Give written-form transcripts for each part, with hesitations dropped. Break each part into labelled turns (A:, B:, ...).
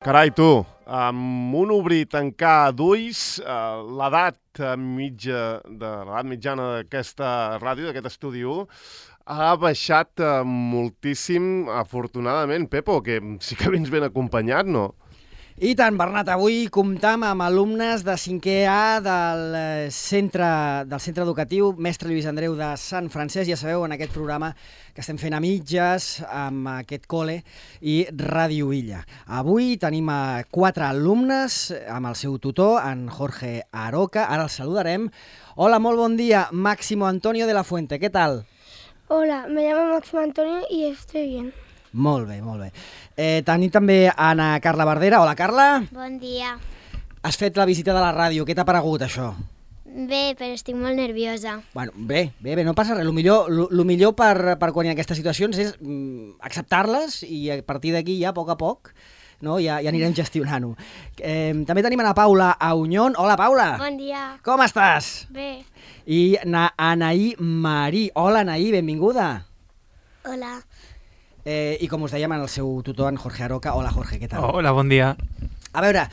A: Carai, tu, amb un obrir tancar d'ulls, l'edat mitjana d'aquesta ràdio, d'aquest estudi 1, ha baixat moltíssim, afortunadament. Pepo, que sí que vens ben acompanyat, no?
B: I tant, Bernat, avui comptam amb alumnes de 5è A del centre educatiu Mestre Lluís Andreu de Sant Francesc. Ja sabeu, en aquest programa que estem fent a mitges amb aquest col·le i Ràdio Illa. Avui tenim 4 alumnes amb el seu tutor, en Jorge Aroca. Ara els saludarem. Hola, molt bon dia, Máximo Antonio de la Fuente. ¿Qué tal?
C: Hola, me llamo Máximo Antonio y estoy bien.
B: Molt bé, molt bé. Tenim també Ana Carla Bardera. Hola, Carla.
D: Bon dia.
B: Has fet la visita de la ràdio. Què t'ha paregut, això?
D: Bé, però estic molt nerviosa.
B: Bueno, bé, no passa res. Lo millor per quan hi ha aquestes situacions és acceptar-les i a partir d'aquí ja, a poc, no? ja anirem gestionant-ho. També tenim a Paula Auñón. Hola, Paula.
C: Bon dia.
B: Com estàs?
C: Bé.
B: I Anaí Marí. Hola, Anaí, benvinguda.
C: Hola.
B: I com us dèiem, en el seu tutor, en Jorge Aroca. Hola, Jorge, què tal?
E: Hola, bon dia.
B: A veure,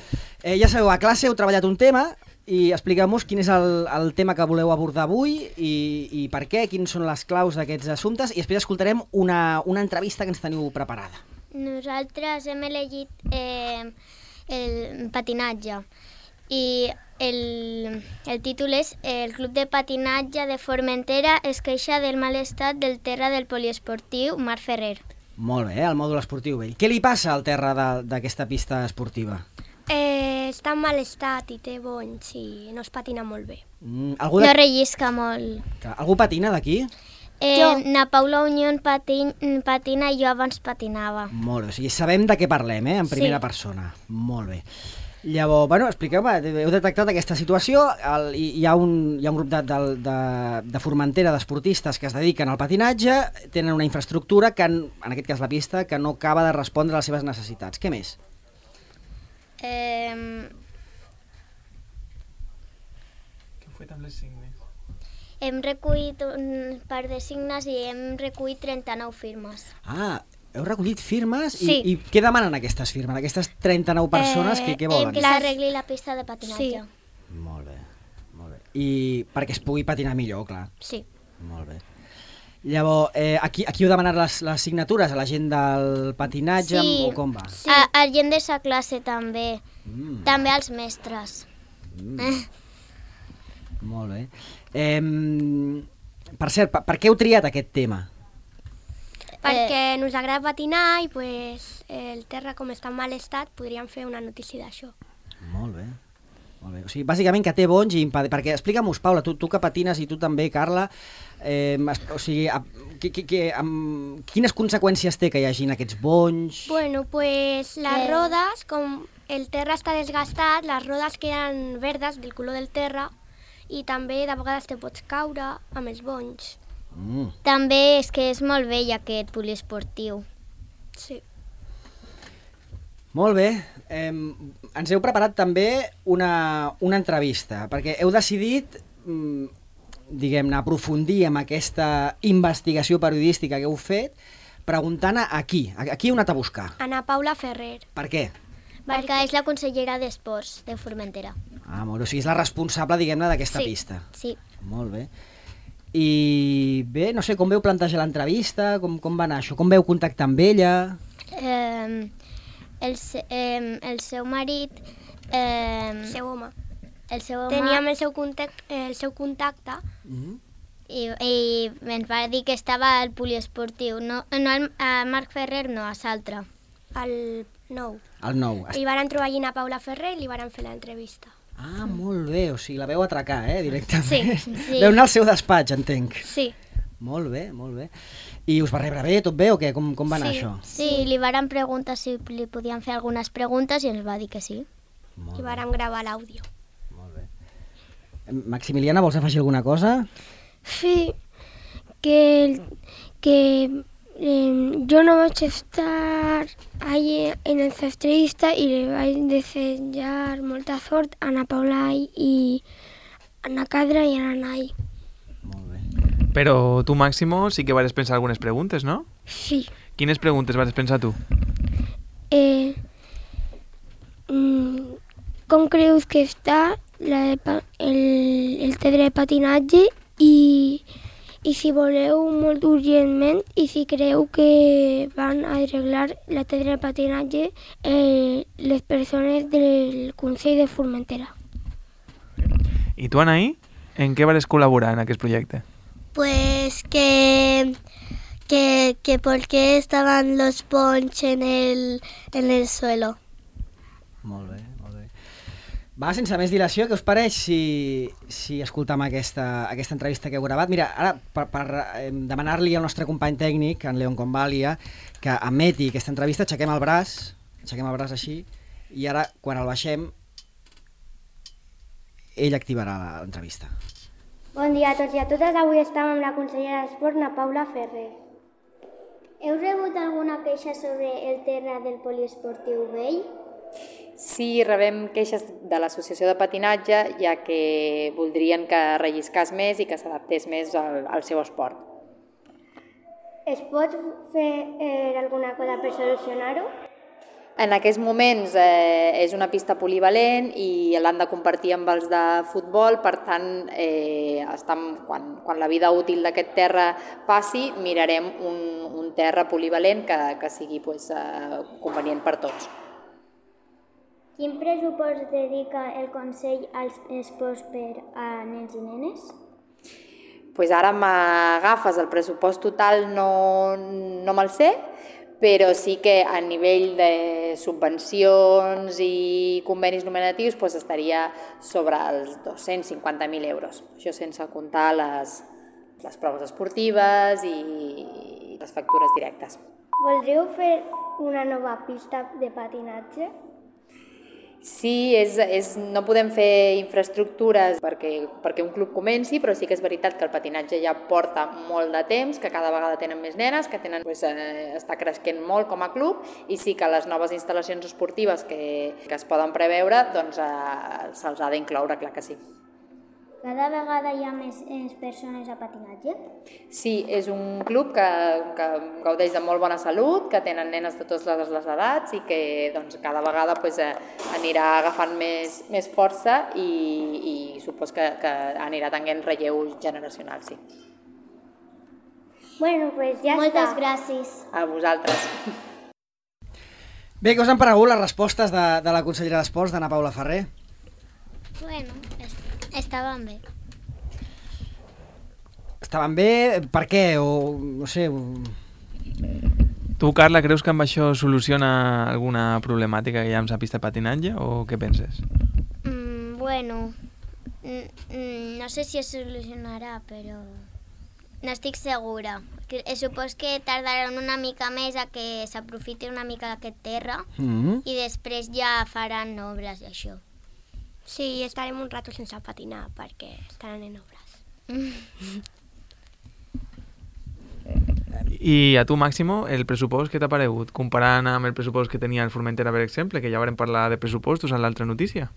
B: ja sabeu, a classe heu treballat un tema i expliqueu-nos quin és el tema que voleu abordar avui i per què, quins són les claus d'aquests assumptes, i després escoltarem una entrevista que ens teniu preparada.
D: Nosaltres hem elegit el patinatge i el títol és El Club de Patinatge de Formentera es queixa del mal estat del terra del poliesportiu Mar Ferrer.
B: Molt bé, el mòdul esportiu vell. Què li passa al terra d'aquesta pista esportiva?
C: Està en mal estat i té bonys i no es patina molt bé.
B: Algú
D: No rellisca molt.
B: Algú patina d'aquí?
D: Na Paula Unión patina i jo abans patinava.
B: Molt bé, o sigui, sabem de què parlem, en primera persona. Molt bé. Llavors, bueno, expliqueu-me, heu detectat aquesta situació, hi ha un grup de Formentera, d'esportistes que es dediquen al patinatge, tenen una infraestructura, que en aquest cas la pista, que no acaba de respondre a les seves necessitats. Què més?
E: Què heu fet amb les signes?
D: Hem recollit un par de signes i hem recollit 39 firmes.
B: Heu recollit firmes?
D: Sí.
B: I què demanen aquestes firmes? Aquestes 39 persones, què volen?
D: Que s'arregli la pista de patinatge.
C: Sí.
B: Molt bé, molt bé. I perquè es pugui patinar millor, clar.
D: Sí.
B: Molt bé. Llavors, aquí heu demanat les signatures a la gent del patinatge,
D: Sí.
B: o com va?
D: Sí. A gent de sa classe també. També als mestres.
B: Molt bé. Per cert, per què heu triat aquest tema?
C: Perquè ens agrada patinar i pues, el terra, com està en mal estat, podríem fer una notícia d'això.
B: Molt bé. Molt bé. O sigui, bàsicament que té bonys i perquè explica'm-us, Paula, tu que patines i tu també, Carla, o sigui, quines conseqüències té que hi hagin aquests bonys?
C: Bueno, pues les rodes, com el terra està desgastat, les rodes queden verdes del color del terra i també de vegades te pots caure amb els bonys.
D: També és que és molt vell aquest poliesportiu.
C: Sí.
B: Molt bé. Ens heu preparat també una entrevista, perquè heu decidit, diguem-ne, aprofundir en aquesta investigació periodística que heu fet, preguntant a qui heu anat a buscar.
C: Ana Paula Ferrer.
B: Per què?
D: Perquè és la consellera d'Esports de Formentera.
B: Molt bé. O sigui, és la responsable, diguem-ne, d'aquesta
D: Sí.
B: pista.
D: Sí.
B: Molt bé. I bé, no sé, com veu plantejar l'entrevista, com va anar això? Com veu contactar amb ella?
D: El seu marit...
C: El seu home.
D: El seu home...
C: Teníem el seu contacte
D: I ens va dir que estava al poliesportiu. No a Marc Ferrer, no, a l'altre.
C: al 9.
B: El 9.
C: I van trobar allí a Paula Ferrer i li van fer l'entrevista.
B: Molt bé, o sigui, la veu atracar, directament.
D: Sí.
B: Veu anar al seu despatx, entenc.
C: Sí.
B: Molt bé, molt bé. I us va rebre bé, tot bé, o què? Com va anar això?
D: Sí, li varen preguntar si li podien fer algunes preguntes i ens va dir que sí.
B: Molt
C: I
B: bé,
C: vàrem gravar l'àudio.
B: molt bé. Maximiliana, vols afegir alguna cosa?
F: Sí, que yo no vaig estar allí en el entrevista y le vaig desear molta sort a Ana Paula y a Ana Cadra y a la Nay.
B: Molt bé.
E: Però tu, Máximo, sí que vas pensar algunes preguntes, no?
F: Sí.
E: Quines preguntes vas pensar tu?
F: com creus que està el terra de patinatge i si voleu molt urgentment i si creu que van a arreglar la terra de patinatge les persones del Consell de Formentera.
E: I tu, Anaí, en què vas col·laborar en aquest projecte?
C: Pues que por qué estaban los ponches en el suelo.
B: Molt bé, molt bé. Va, sense més dilació, què us pareix si escoltam aquesta entrevista que heu gravat? Mira, ara, per demanar-li al nostre company tècnic, en Leon Convalia, que emeti aquesta entrevista, aixequem el braç així, i ara, quan el baixem, ell activarà l'entrevista.
G: Bon dia a tots i a totes. Avui estem amb la consellera d'Esport, na Paula Ferrer.
D: Heu rebut alguna queixa sobre el terra del poliesportiu vell?
H: Sí, rebem queixes de l'associació de patinatge, ja que voldrien que relliscés més i que s'adaptés més al seu esport.
G: Es pot fer alguna cosa per solucionar-ho?
H: En aquests moments és una pista polivalent i l'han de compartir amb els de futbol, per tant, quan la vida útil d'aquest terra passi, mirarem un terra polivalent que sigui convenient per tots.
D: Quin pressupost dedica el Consell als esports per a nens i nenes?
H: Ara m'agafes, el pressupost total no me'l sé, però sí que a nivell de subvencions i convenis nominatius estaria sobre els 250.000 euros. Això sense comptar les proves esportives i les factures directes.
G: Voldríeu fer una nova pista de patinatge?
H: Sí, no podem fer infraestructures perquè un club comenci, però sí que és veritat que el patinatge ja porta molt de temps, que cada vegada tenen més nenes, que està creixent molt com a club, i sí que les noves instal·lacions esportives que es poden preveure se'ls ha d'incloure, clar que sí.
D: Cada vegada hi ha més persones a patinatge?
H: Sí, és un club que gaudeix de molt bona salut, que tenen nenes de totes les edats i que cada vegada anirà agafant més força i supos que anirà tenint relleu generacional, sí.
G: Bueno, pues ja
D: Moltes
G: està.
D: gràcies.
H: A vosaltres.
B: Bé, què us han paregut les respostes de la consellera d'Esports, d'Anna Paula Ferrer?
D: Bueno, estaven bé.
B: Estaven bé? Per què? O no sé...
E: Tu, Carla, creus que amb això soluciona alguna problemàtica que hi ha amb la pista de patinatge o què penses?
D: Bueno, no sé si es solucionarà, però no estic segura. Supos que tardaran una mica més a que s'aprofiti una mica d'aquest terra i després ja faran obres i això.
C: Sí, estarem un rato sense patinar perquè estaran en obres.
E: I a tu, Máximo, el pressupost que t'ha paregut? Comparant amb el pressupost que tenia el Formentera, per exemple, que ja vam parlar de pressupostos en l'altra notícia.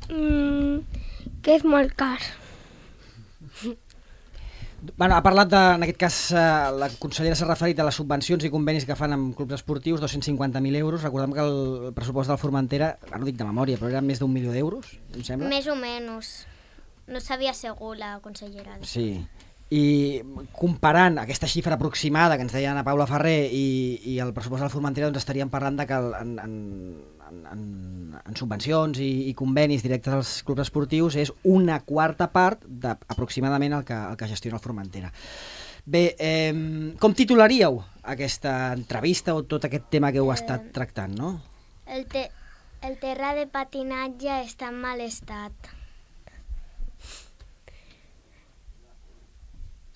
F: Que és molt car.
B: Bueno, ha parlat en aquest cas, la consellera s'ha referit a les subvencions i convenis que fan amb clubs esportius, 250.000 euros. Recordem que el pressupost del Formentera, no dic de memòria, però era més d'1 milió d'euros, em sembla?
D: Més o menys. No sabia segur la consellera.
B: Sí. I comparant aquesta xifra aproximada que ens deia Anna Paula Ferrer i el pressupost del Formentera, doncs estaríem parlant de que en subvencions i convenis directes als clubs esportius és una quarta part aproximadament el que gestiona el Formentera. Bé, com titularíeu aquesta entrevista o tot aquest tema que heu estat tractant, no?
D: El terra de patinatge està en mal estat.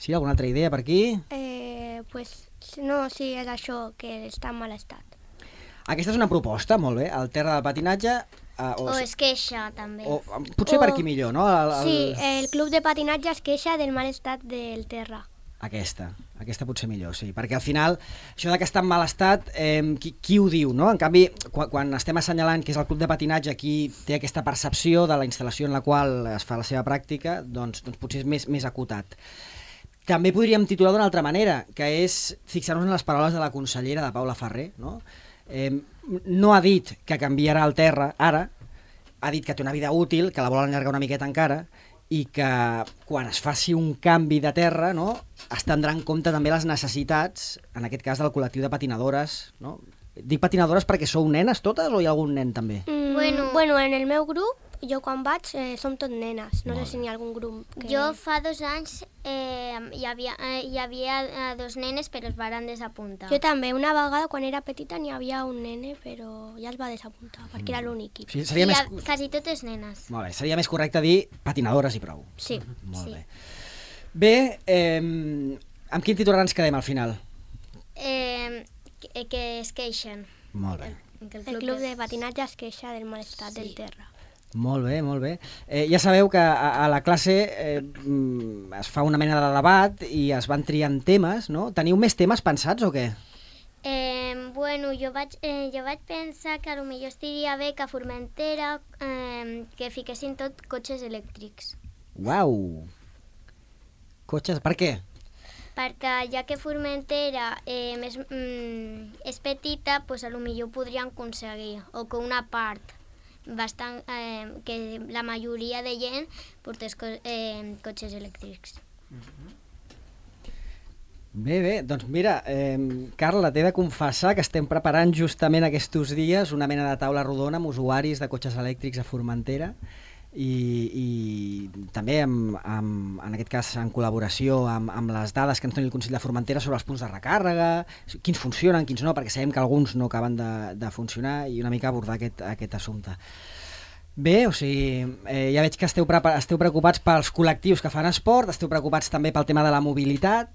B: Sí, alguna altra idea per aquí?
C: Pues no, sí, és això, que està en mal estat.
B: Aquesta és una proposta, molt bé, el terra del patinatge...
D: O es queixa, també.
B: Potser per aquí millor, no?
C: Sí, el club de patinatge es queixa del mal estat del terra.
B: Aquesta potser millor, sí, perquè al final això de que està en mal estat, qui ho diu, no? En canvi, quan estem assenyalant que és el club de patinatge qui té aquesta percepció de la instal·lació en la qual es fa la seva pràctica, doncs potser és més acotat. També podríem titular d'una altra manera, que és fixar-nos en les paraules de la consellera de Paula Ferrer, no? No ha dit que canviarà el terra ara, ha dit que té una vida útil, que la vol allargar una miqueta encara, i que quan es faci un canvi de terra, no, es tindrà en compte també les necessitats, en aquest cas del col·lectiu de patinadores, no? Dic patinadores perquè sou nenes totes o hi ha algun nen també?
C: Bueno, en el meu grup, jo quan vaig, som tot nenes. No sé si n'hi ha algun grup que...
D: Jo fa 2 anys hi havia 2 nenes, però es varen desapuntar.
C: Jo també, una vegada quan era petita n'hi havia un nene, però ja es va desapuntar, perquè era l'únic.
B: O sigui, seria més...
D: Quasi totes nenes.
B: Molt bé, seria més correcte dir patinadores i prou.
C: Sí.
B: Molt bé. Bé, amb quin titular ens quedem al final?
D: Que es queixen.
B: Molt bé.
C: El club de patinatge es queixa del mal estat del terra.
B: Molt bé, molt bé. Ja sabeu que a la classe es fa una mena de debat i es van triant temes, no? Teniu més temes pensats o què?
D: Bueno, jo vaig pensar que potser estaria bé que a Formentera que fiquessin tot cotxes elèctrics.
B: Uau! Cotxes, per què?
D: Perquè ja que Formentera és petita, doncs potser ho podrien aconseguir, o que una part bastant, que la majoria de gent portés cotxes elèctrics.
B: Bé, doncs mira, Carla, t'he de confessar que estem preparant justament aquests dies una mena de taula rodona amb usuaris de cotxes elèctrics a Formentera i també en aquest cas en col·laboració amb les dades que ens doni el Consell de Formentera sobre els punts de recàrrega, quins funcionen, quins no, perquè sabem que alguns no acaben de funcionar i una mica abordar aquest assumpte. Bé, o sigui, ja veig que esteu preocupats pels col·lectius que fan esport, esteu preocupats també pel tema de la mobilitat.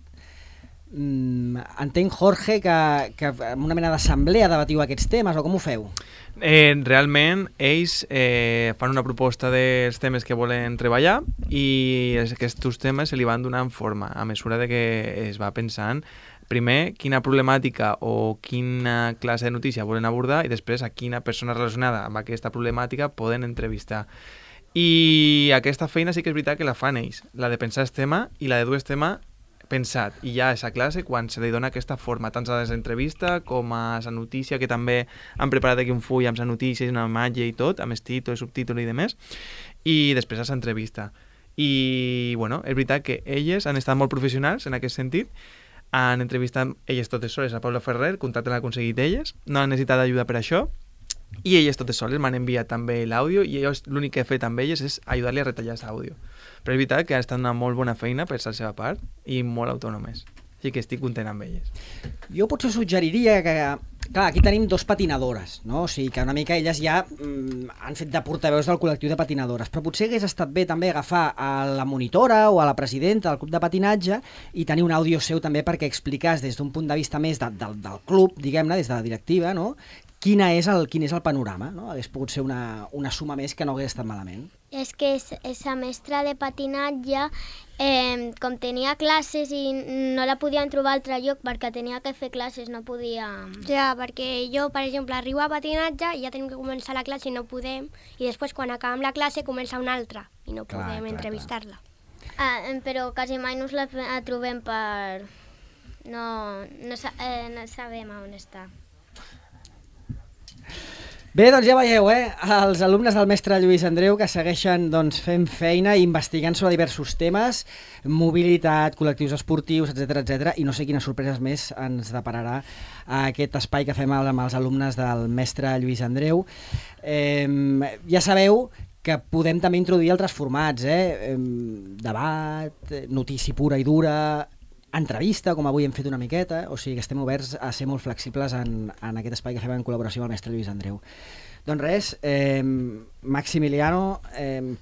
B: Entenc, Jorge, que en una mena d'assemblea debatiu aquests temes, o com ho feu?
E: Realment, ells fan una proposta dels temes que volen treballar i aquests temes se li van donant forma a mesura de que es va pensant primer quina problemàtica o quina classe de notícia volen abordar i després a quina persona relacionada amb aquesta problemàtica poden entrevistar. I aquesta feina sí que és veritat que la fan ells, la de pensar el tema i la de dur el tema pensat, i ja a aquesta classe quan se li dona aquesta forma, tant a l'entrevista com a la notícia, que també han preparat aquí un full amb la notícia i una imatge i tot, amb el títol, subtítol i demés, i després a l'entrevista. I, bueno, és veritat que elles han estat molt professionals en aquest sentit, han entrevistat elles totes soles a Paula Ferrer, contacte l'ha aconseguit elles, no han necessitat ajuda per això, i elles totes soles m'han enviat també l'àudio i l'únic que he fet amb elles és ajudar-li a retallar l'àudio. Però és veritat que ha estat una molt bona feina per la seva part i molt autònomes. Així que estic content amb elles.
B: Jo potser suggeriria que, clar, aquí tenim 2 patinadores, no? O sigui que una mica elles ja han fet de portaveus del col·lectiu de patinadores, però potser hagués estat bé també agafar a la monitora o a la presidenta del club de patinatge i tenir un àudio seu també perquè explicàs des d'un punt de vista més del club, diguem-ne, des de la directiva, no? Quin és el panorama, no? Hagués pogut ser una suma més que no hagués estat malament.
D: És que esa mestra de patinatge, com tenia classes i no la podien trobar a altre lloc perquè tenia que fer classes, no podia...
C: Ja, perquè jo, per exemple, arribo a patinatge i ja tenim que començar la classe i no podem, i després quan acabem la classe comença una altra i no podem entrevistar-la.
D: Però quasi mai no la trobem per... No sabem on està.
B: Bé, doncs ja veieu, els alumnes del mestre Lluís Andreu que segueixen fent feina i investigant sobre diversos temes, mobilitat, col·lectius esportius, etc, i no sé quines sorpreses més ens depararà aquest espai que fem amb els alumnes del mestre Lluís Andreu. Ja sabeu que podem també introduir altres formats, debat, notícia pura i dura, entrevista, com avui hem fet una miqueta, o sigui que estem oberts a ser molt flexibles en aquest espai que fem en col·laboració amb el mestre Lluís Andreu. Doncs res, Maximiliano,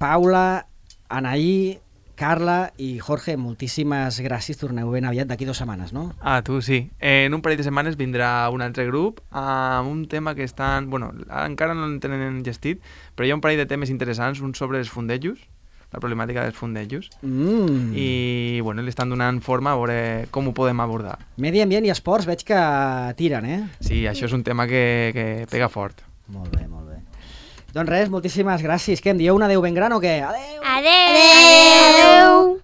B: Paula, Anaí, Carla i Jorge, moltíssimes gràcies, torneu ben aviat, d'aquí 2 setmanes, no?
E: Ah, tu sí. En un parell de setmanes vindrà un altre grup amb un tema que estan... Bueno, encara no el tenen gestit, però hi ha un parell de temes interessants, un sobre els fondejos, la problemàtica dels fondejos, i bueno, li estan donant forma a veure com ho podem abordar.
B: Medi ambient i esports veig que tiren,
E: Sí, això és un tema que pega fort.
B: Molt bé, molt bé. Doncs res, moltíssimes gràcies. Què em dieu, un adeu ben gran o què? Adeu!
C: Adeu!